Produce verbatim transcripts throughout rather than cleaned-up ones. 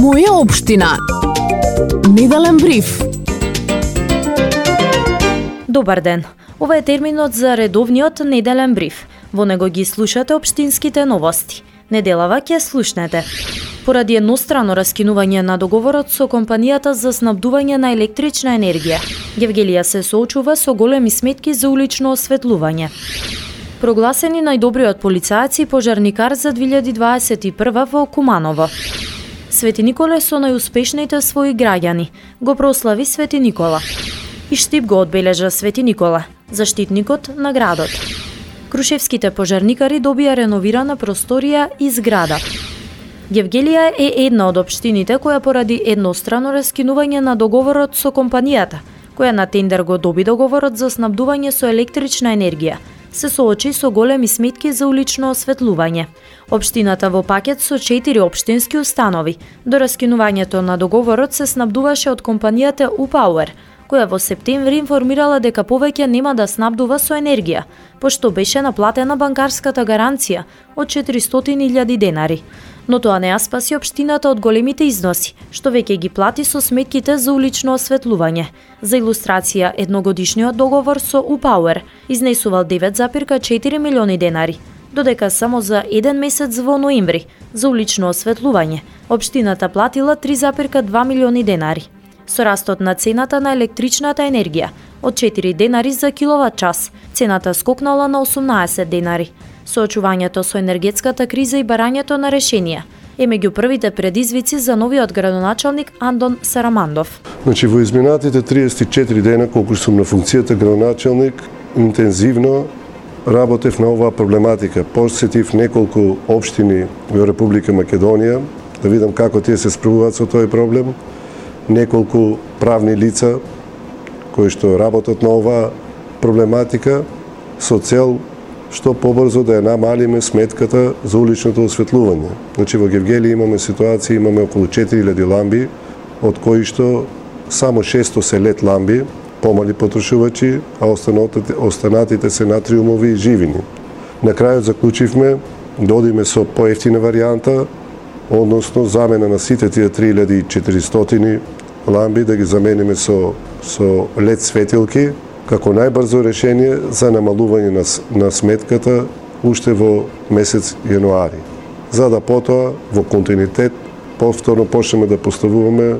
Моја општина. Неделен бриф. Добар ден. Ова е терминот за редовниот неделен бриф. Во него ги слушате општинските новости. Неделава ќе слушнете. Поради еднострано раскинување на договорот со компанијата за снабдување на електрична енергија, Гевгелија се соочува со големи сметки за улично осветлување. Прогласени најдобриот полицаец и пожарникар за две илјади дваесет и прва во Куманово. Свети Николе со најуспешните своји граѓани го прослави Свети Никола. И Штип го одбележа Свети Никола, заштитникот на градот. Крушевските пожарникари добија реновирана просторија и зграда. Гевгелија е една од општините која поради еднострано раскинување на договорот со компанијата, која на тендер го доби договорот за снабдување со електрична енергија, се соочи со големи сметки за улично осветлување. Општината во пакет со четири општински установи. До раскинувањето на договорот се снабдуваше од компанијата U-Power, која во септември информирала дека повеќе нема да снабдува со енергија, пошто беше наплатена банкарската гаранција од четиристотини илјади денари. Но тоа не ја спаси општината од големите износи, што веќе ги плати со сметките за улично осветлување. За илустрација, едногодишниот договор со U-Power изнесувал девет запирка четири милиони денари, додека само за еден месец во ноември за улично осветлување општината платила три запирка два милиони денари. Со растот на цената на електричната енергија од четири денари за киловат час, цената скокнала на осумнаесет денари. Соочувањето со енергетската криза и барањето на решенија е меѓу првите предизвици за новиот градоначалник Андон Сарамандов. Значи, во изминатите триесет и четири дена, колку сум на функцијата градоначалник, интензивно работев на оваа проблематика. Посетив неколку општини во Република Македонија, да видам како тие се справуваат со тој проблем, неколку правни лица кои што работат на оваа проблематика со цел што побрзо да ја намалиме сметката за уличното осветлување. Значи, во Гевгелија имаме ситуација, имаме околу четири илјади ламби, од кои што само шесто се лед ламби, помали потрошувачи, а останатите се натриумови и живини. На крајот заклучивме да одиме со поевтина варијанта, односно замена на сите тие три илјади и четиристотини ламби, да ги замениме со, со лед светилки, како најбрзо решение за намалување на, на сметката уште во месец јануари. За да потоа во континуитет повторно почнеме да поставуваме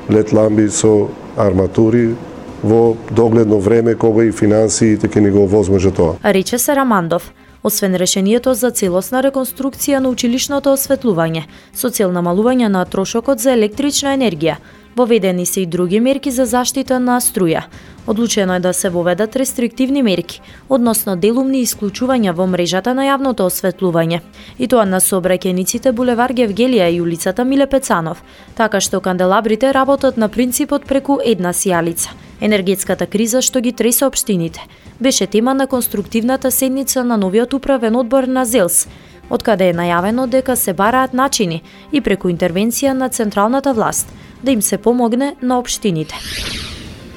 лед ламби со арматури во догледно време кога и финансиите ќе ни го овозможат тоа. Рече Сарамандов. Освен решението за целосна реконструкција на училишното осветлување, со цел намалување на трошокот за електрична енергија, воведени се и други мерки за заштита на струја. Одлучено е да се воведат рестриктивни мерки, односно делумни исклучувања во мрежата на јавното осветлување, и тоа на сообраќајниците булевар Гевгелија и улицата Миле Пецанов, така што канделабрите работат на принципот преку една сијалица. Енергетската криза што ги тресе општините беше тема на конструктивната седница на новиот управен одбор на ЗЕЛС, откаде е најавено дека се бараат начини и преку интервенција на централната власт да им се помогне на општините.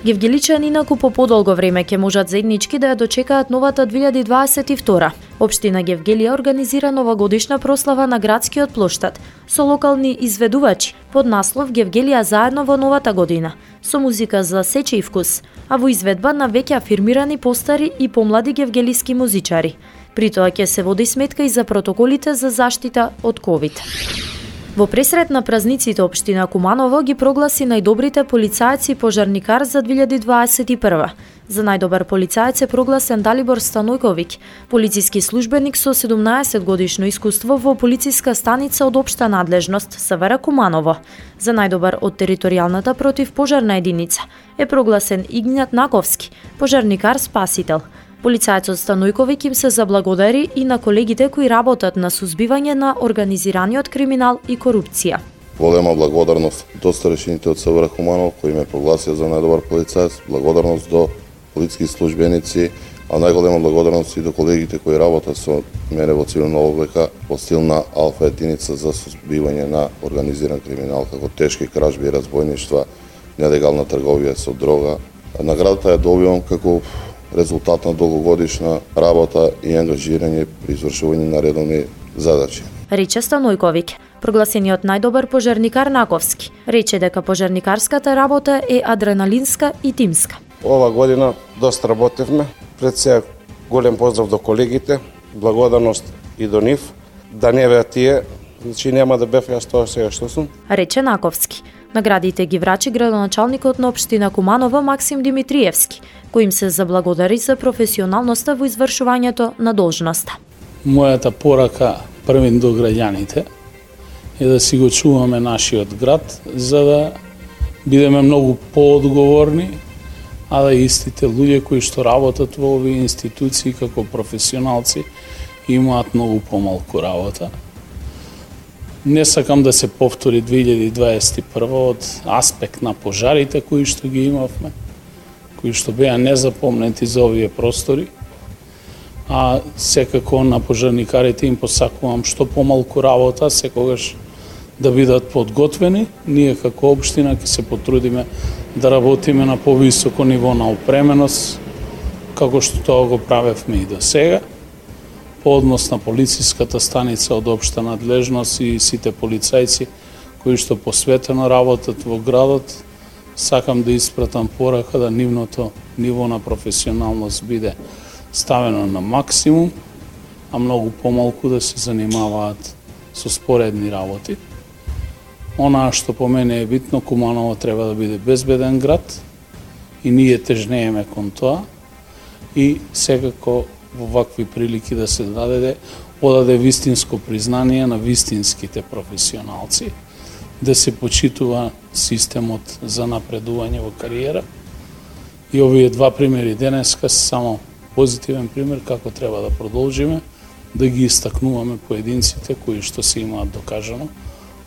Гевгеличани инаку по подолго време ќе можат заеднички да ја дочекаат новата две илјади дваесет и втора. Општина Гевгелија организира новогодишна прослава на градскиот плоштад со локални изведувачи под наслов Гевгелија заедно во новата година, со музика за сечи и вкус, а во изведба на веќе афирмирани постари и помлади гевгелиски музичари. При тоа ќе се води сметка и за протоколите за заштита од ковид. Во пресрет на празниците општина Куманово ги прогласи најдобрите полицаец и пожарникар за две илјади дваесет и прва. За најдобар полицаец е прогласен Далибор Станојковиќ, полициски службеник со седумнаесет годишно искуство во полициска станица од општа надлежност СВР Куманово. За најдобар од територијалната противпожарна единица е прогласен Игнат Наковски, пожарникар спасител. Полицајецот Станојковиќ им се заблагодари и на колегите кои работат на сузбивање на организираниот криминал и корупција. Голема благодарност до старешините од СВР Куманово кои ме прогласија за најдобар полицаец, благодарност до полициски службеници, а најголема благодарност и до колегите кои работат со мене во цивилна облека во стил на алфа единица за сузбивање на организиран криминал, како тешки кражби и разбојништва, нелегална трговија со дрога. Наградата ја добивам како резултат на долгогодишна работа и ангажирање при извршување на редовни задачи. Рече Станојковиќ. Прогласениот најдобар пожарникар Наковски рече дека пожарникарската работа е адреналинска и тимска. Ова година доста работевме. Пред се голем поздрав до колегите, благодарност и до нив. Да не беа тие, значи нема да бев јас тоа сега што сум. Рече Наковски. Наградите ги врачи градоначалникот на општина Куманово Максим Димитриевски, кој им се заблагодари за професионалноста во извршувањето на должноста. Мојата порака првин до граѓаните е да си го чуваме нашиот град, за да бидеме многу поодговорни, а да истите луѓе кои што работат во овие институции како професионалци имаат многу помалку работа. Не сакам да се повтори две илјади дваесет и прва од аспект на пожарите кои што ги имавме, кои што беа незапомнети за овие простори, а секако на пожарникарите им посакувам што помалку работа, секогаш да бидат подготвени. Ние како општина ќе се потрудиме да работиме на повисоко ниво на опременост, како што тоа го правевме и до сега. По однос на полициската станица од општа надлежност и сите полицајци кои што посветено работат во градот, сакам да испратам порака да нивното ниво на професионалност биде ставено на максимум, а многу помалку да се занимаваат со споредни работи. Онаа што по мене е битно, Куманово треба да биде безбеден град и ние тежнееме кон тоа и секако во вакви прилики да се даде, одаде вистинско признание на вистинските професионалци, да се почитува системот за напредување во кариера. И овие два примери денеска се само позитивен пример како треба да продолжиме, да ги истакнуваме поединците кои што се имаат докажано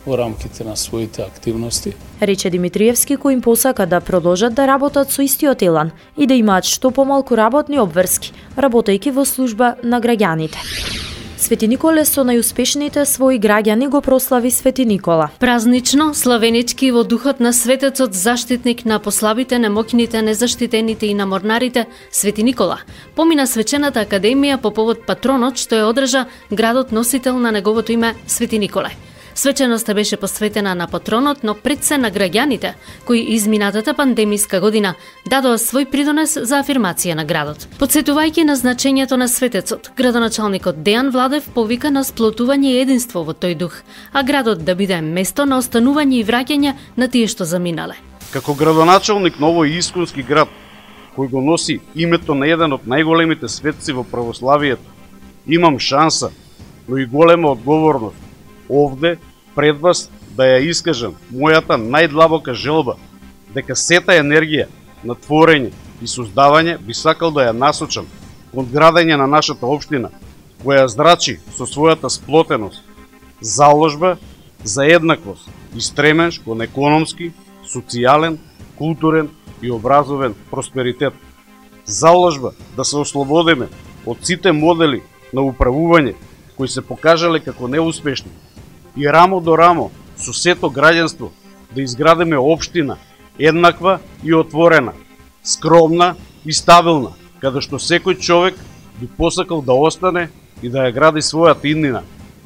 во рамките на своите активности. Рече Димитриевски, кој им посака да продолжат да работат со истиот елан и да имаат што помалку работни обврски, работејќи во служба на граѓаните. Свети Николе со најуспешните своји граѓани го прослави Свети Никола. Празнично, славенички во духот на светецот, заштитник на послабите, немоќните, незаштитените и на морнарите, Свети Никола помина свечената академија по повод патронот што ја одржа градот носител на неговото име Свети Николе. Свеченоста беше посветена на патронот, но пред се на граѓаните, кои изминатата пандемиска година дадоа свој придонес за афирмација на градот. Подсетувајќи на значењето на светецот, градоначалникот Дејан Владев повика на сплотување и единство во тој дух, а градот да биде место на останување и враќање на тие што заминале. Како градоначалник на овој исконски град, кој го носи името на еден од најголемите светци во православието, имам шанса, но и голема одговорност овде пред вас да ја искажам мојата најдлабока желба дека сета енергија на творење и создавање би сакал да ја насочам кон градење на нашата општина, која зрачи со својата сплотеност, заложба за еднаквост и стремеж кон економски, социјален, културен и образовен просперитет. Заложба да се ослободиме од сите модели на управување кои се покажале како неуспешни и рамо до рамо со сето граѓанство да изградиме општина еднаква и отворена, скромна и стабилна, каде што секој човек би посакал да остане и да ја гради својата иднина,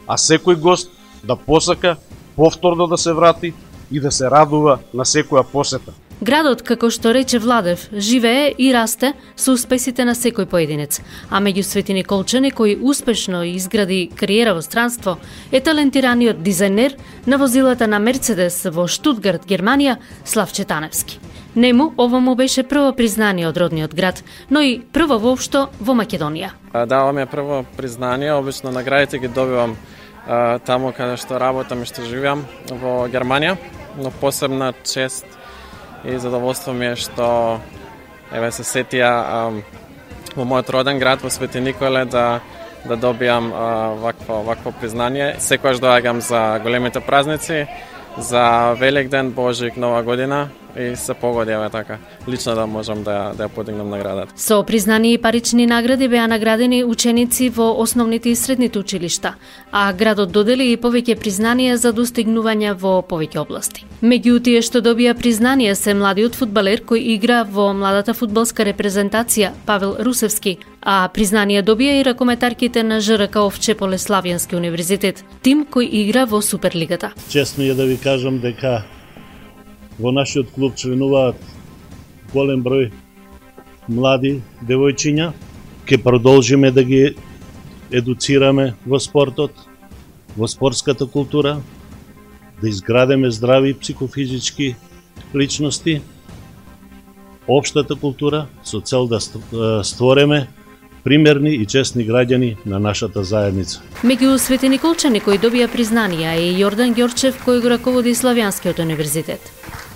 а секој гост да посака повторно да се врати и да се радува на секоја посета. Градот, како што рече Владев, живее и расте со успесите на секој поединец, а меѓу Свети Николчани кој успешно изгради кариера во странство е талентираниот дизајнер на возилата на Мерцедес во Штутгарт, Германија, Славче Таневски. Нему ова му беше прво признание од родниот град, но и прво воопшто во Македонија. Даваме прво признание, обично наградите ги добивам а, таму каде што работам и што живеам во Германија, но посебна чест и задоволство ми е што еве се сетија а, во мојот роден град во Свети Николе да да добијам а, вакво вакво признание. Секогаш доаѓам за големите празници, за Великден, Божик, Нова година и се погоди еве така. Лично да можам да да ја подигнам наградата. Со признани и парични награди беа наградени ученици во основните и средните училишта, а градот додели и повеќе признанија за достигнувања во повеќе области. Меѓу тие што добија признание се младиот фудбалер кој игра во младата фудбалска репрезентација Павел Русевски, а признание добија и ракометарките на ЖРК Овче Поле Славјански универзитет, тим кој игра во Суперлигата. Честно е да ви кажам дека во нашиот клуб членуваат голем број млади девојчиња. Ке продолжиме да ги едуцираме во спортот, во спортската култура, да изградиме здрави психофизички личности, општата култура со цел да створиме примерни и честни граѓани на нашата заедница. Меѓу светениколчани кои добија признанија е Јордан Ѓорчев кој го раководи Славјанскиот универзитет.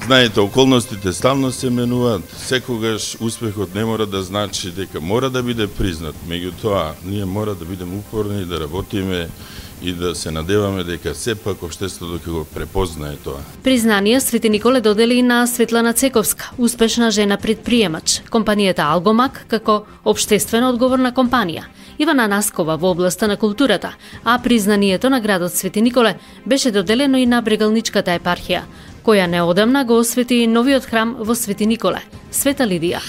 Знаете, околностите стално се менуваат, секогаш успехот не мора да значи дека мора да биде признат, меѓутоа ние мора да бидеме упорни, да работиме и да се надеваме дека сепак општеството ќе го препознае тоа. Признание Свети Николе додели на Светлана Цековска, успешна жена предприемач, компанијата Алгомак како општествено одговорна компанија, Ивана Наскова во областа на културата, а признанието на градот Свети Николе беше доделено и на Брегалничката епархија, која неодамна го освети новиот храм во Свети Николе, Света Лидија.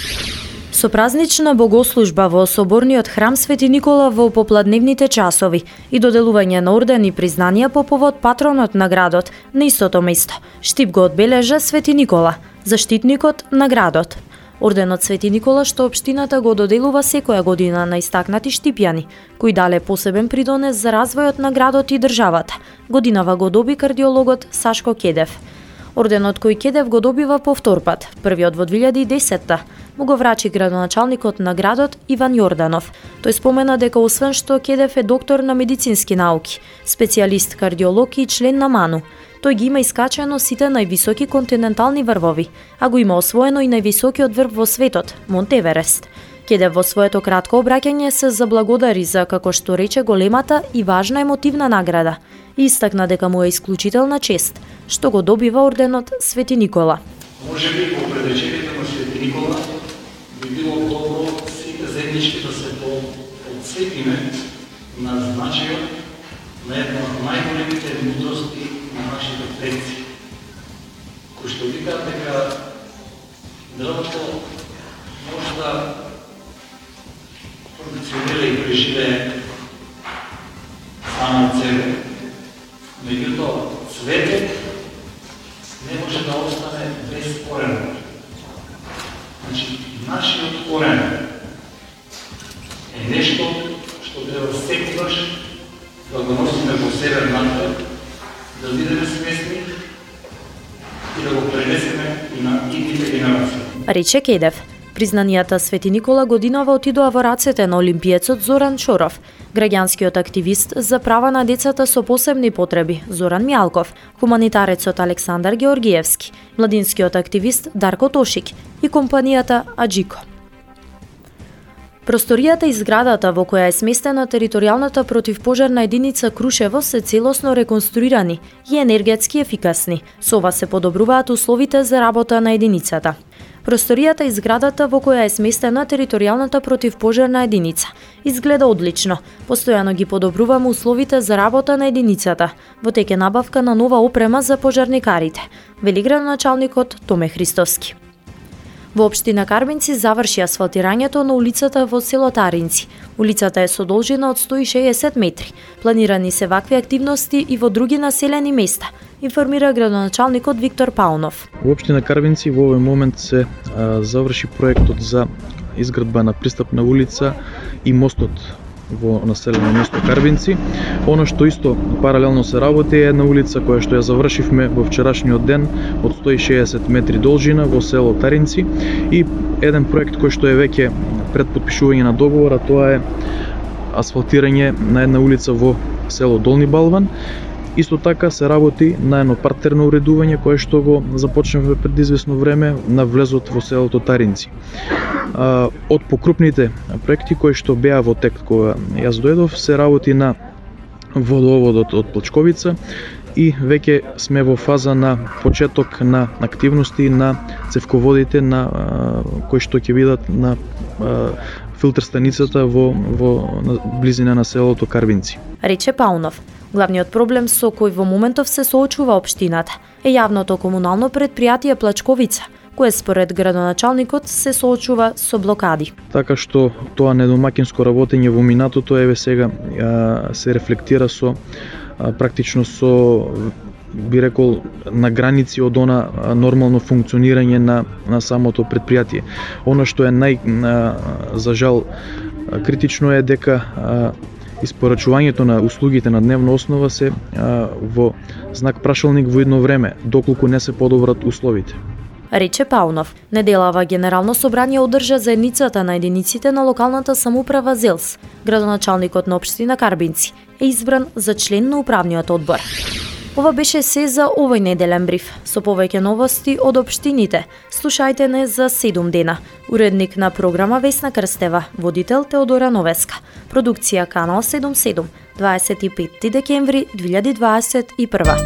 Со празнична богослужба во Соборниот храм Свети Никола во попладневните часови и доделување на ордени и признанија по повод патронот на градот на истото место. Штип го одбележа Свети Никола, заштитникот на градот. Орденот Свети Никола што општината го доделува секоја година на истакнати штипјани, кои дале посебен придонес за развојот на градот и државата. Годинава го доби кардиологот Сашко Кедев. Орденот кој Кедев го добива повтор пат, првиот во две илјади и десетта, му го врачи градоначалникот на градот Иван Јорданов. Тој спомена дека освен што Кедев е доктор на медицински науки, специјалист кардиолог и член на МАНУ, тој ги има искачено сите највисоки континентални врвови, а го има освоено и највисокиот врв во светот, Монт Еверест. Кедев во своето кратко обраќање се заблагодари за, како што рече, големата и важна емотивна награда и истакна дека му е исклучителна чест што го добива орденот Свети Никола. Може би по предвечерието на Свети Никола би било добро сите заеднички да се подсетиме на значајот на една од најголемите мудрости на нашите предци, кои што викаат дека дрвото може да функционира и преживее само од себе, меѓутоа светот не може да остане без корен. Значи, нашиот корен е нешто што треба секогаш да го носиме во себе напред, да бидеме свесни и да го пренесеме и на идните генерации. Рече Кедев. Признанијата Свети Никола годинава отидоа во рацете на олимпиецот Зоран Чоров, граѓанскиот активист за права на децата со посебни потреби Зоран Мјалков, хуманитарецот Александар Георгиевски, младинскиот активист Дарко Тошик и компанијата Аджико. Просторијата и зградата во која е сместена територијалната противпожарна единица Крушево се целосно реконструирани и енергетски ефикасни. Со ова се подобруваат условите за работа на единицата. Просторијата и зградата во која е сместена територијалната противпожарна единица изгледа одлично. Постојано ги подобруваме условите за работа на единицата, во тек е набавка на нова опрема за пожарникарите, вели градоначалникот Томе Христовски. Во општина Карбинци заврши асфалтирањето на улицата во село Таринци. Улицата е со должина од сто и шеесет метри. Планирани се вакви активности и во други населени места, информира градоначалникот Виктор Паунов. Во општина Карбинци во овој момент се а, заврши проектот за изградба на пристапна улица и мостот во населено место Карбинци. Оно што исто паралелно се работи е една улица која што ја завршивме во вчерашниот ден од сто и шеесет метри должина во село Таринци и еден проект кој што е веќе пред потпишување на договора, тоа е асфалтирање на една улица во село Долни Балван. Исто така се работи на едно партерно уредување кое што го започнавме пред известно време на влезот во селото Таринци. Од покрупните проекти кои што беа во тек кога јас дојдов се работи на водоводот од Плачковица и веќе сме во фаза на почеток на активности на цевководите на кои што ќе бидат на филтер станицата во во близина на селото Карбинци. Рече Паунов. Главниот проблем со кој во моментов се соочува општината е јавното комунално предпријатие Плачковица, кое според градоначалникот се соочува со блокади. Така што тоа недомакинско работење во минатото еве сега се рефлектира со практично со би рекол на граници од она нормално функционирање на на самото предпријатие. Она што е нај за жал критично е дека испорачувањето на услугите на дневна основа се а, во знак прашалник во едно време, доколку не се подобрат условите. Рече Паунов. Неделава Генерално собрание одржа заедницата на единиците на локалната самоуправа ЗЕЛС. Градоначалникот на општина Карбинци е избран за член на управниот одбор. Ова беше се за овој неделен бриф. Со повеќе новости од општините, слушајте не за седум дена. Уредник на програма Весна Крстева, водител Теодора Новеска. Продукција Канал седумдесет и седум, дваесет и петти декември две илјади дваесет и прва.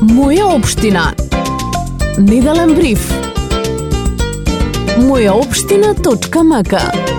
Моја општина. Неделен бриф. моја општина точка м к